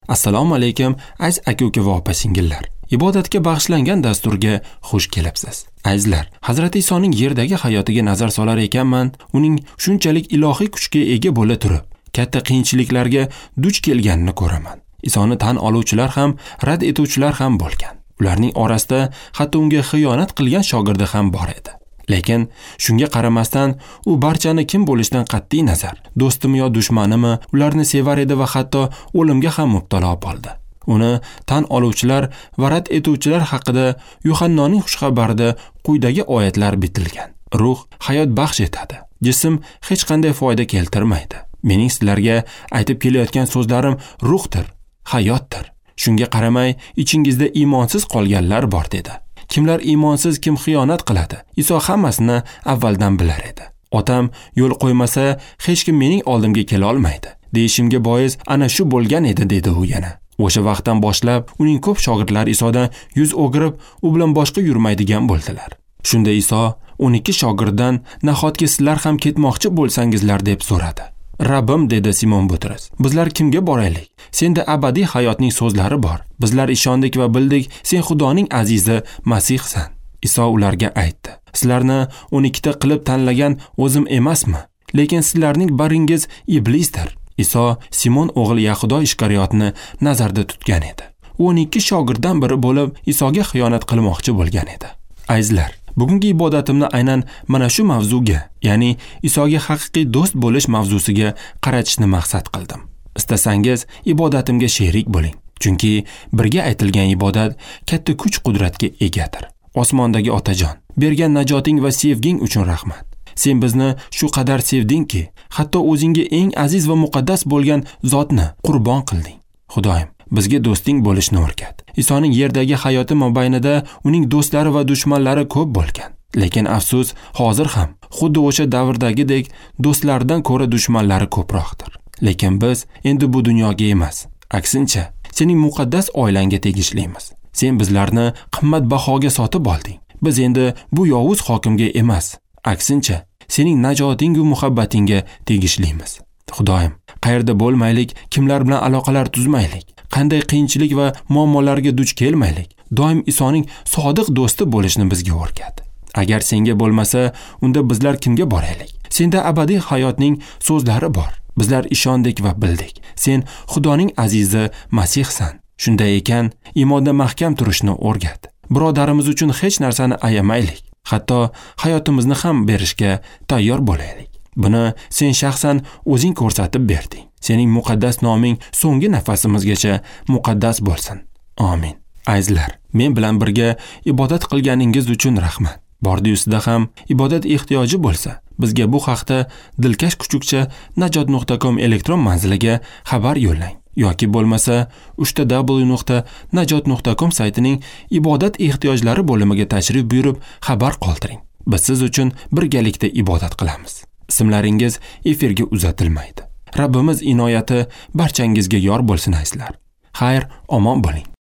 Assalomu alaykum, aziz aka-uka va opa-singillar. Ibodatga bag'ishlangan dasturga xush kelibsiz. Azizlar, Hazrati Isoning yerdagi hayotiga nazar solar ekanman, uning shunchalik ilohiy kuchga ega bo'la turib, katta qiyinchiliklarga duch kelganini ko'raman. Isoni tan oluvchilar ham, rad etuvchilar ham bo'lgan. Ularning orasida hatto unga xiyonat qilgan shogirdi ham bor edi. Lekin shunga qaramasdan u barchani kim bo'lishidan qat'iy nazar, do'stimi yo dushmanimi, ularni sevar edi va hatto o'limga ham mubtalo bo'ldi. Uni tan oluvchilar va rad etuvchilar haqida Yuhannoning xushxabarida quyidagi oyatlar bitilgan. Ruh hayot baxsh etadi. Jism hech qanday foyda keltirmaydi. Mening sizlarga aytib kelayotgan so'zlarim ruhdir, hayotdir. Shunga qaramay ichingizda iymonsiz qolganlar bor dedi. Kimlar iymonsiz, kim xiyonat qiladi? Iso hammasini avvaldan bilar edi. Otam yo'l qo'ymasa, hech kim mening oldimga kela olmaydi, deyishimga bois ana shu bo'lgan edi, dedi u yana. O'sha vaqtdan boshlab uning ko'p shogirdlari Isodan yuz o'girib, u bilan boshqa yurmaydigan bo'ldilar. Shunda Iso 12 shogirddan nahotki sizlar ham ketmoqchi bo'lsangizlar deb so'radi. Rabbim, dedi Simon Butrus, bizlar kimga boraylik? Senda abadiy hayotning so'zlari bor. Bizlar ishondik va bildik, sen Xudoning azizi Masihsan. Iso ularga aytdi: Sizlarni 12 ta qilib tanlagan o'zim emasmi? Lekin sizlarning baringiz iblisdir. Iso Simon o'g'li Yahudo Ishkariyotni nazarda tutgan edi. U 12 shogirddan biri bo'lib, Isoga xiyonat qilmoqchi bo'lgan edi. Azizlar, bugungi ibodatimni aynan mana shu mavzuga, ya'ni Isoga haqiqiy do'st bo'lish mavzusiga qaratishni maqsad qildim. Istasangiz ibodatimga sherik bo'ling, chunki birga aytilgan ibodat katta kuch-qudratga egadir. Osmondagi Otajon, bergan najoting va sevging uchun rahmat. Sen bizni shu qadar sevdingki, hatto o'zingga eng aziz va muqaddas bo'lgan zotni qurbon qilding. Xudoyim, bizga do'sting bo'lishni o'rgat. Isoning yerdagi hayoti mobaynida uning do'stlari va dushmanlari ko'p bo'lgan. Lekin afsus, hozir ham xuddi o'sha davrdagidek do'stlardan ko'ra dushmanlari ko'proqdir. Lekin biz endi bu dunyoga emas, aksincha sening muqaddas oilangga tegishlimiz. Sen bizlarni qimmat bahoga sotib olding. Biz endi bu yovuz hokimga emas, aksincha sening najoting va muhabbatingga tegishlimiz. Xudoyim, qayerda bo'lmaylik, kimlar bilan aloqalar tuzmaylik, qanday qiyinchilik va muammolarga duch kelmaylik, doim Isoning sodiq do'sti bo'lishni bizga o'rgat. Agar senga bo'lmasa, unda bizlar kimga boraylik? Senda abadiy hayotning so'zlari bor. Bizlar ishondik va bildik. Sen Xudoning azizi Masihsan. Shunday ekan, iymonda mahkam turishni o'rgat. Birodarimiz uchun hech narsani ayamaylik. Hatto hayotimizni ham berishga tayyor bo'laylik. Buni sen shaxsan o'zing ko'rsatib berding. Sening muqaddas noming so'nggi nafasimizgacha muqaddas bo'lsin. Amin. Azizlar, men bilan birga ibodat qilganingiz uchun rahmat. Bordi-yusida ham ibodat ehtiyoji bo'lsa, bizga bu haqda dilkash kuchukcha najot.com elektron manziliga xabar yo'llang yoki bo'lmasa www.najot.com saytining ibodat ehtiyojlari bo'limiga tashrif buyurib xabar qoldiring. Biz siz uchun birgalikda ibodat qilamiz. Ismlaringiz efirga uzatilmaydi. Rabbimiz inoyati barchangizga yor bo'lsin azizlar. Xayr, omon bo'ling.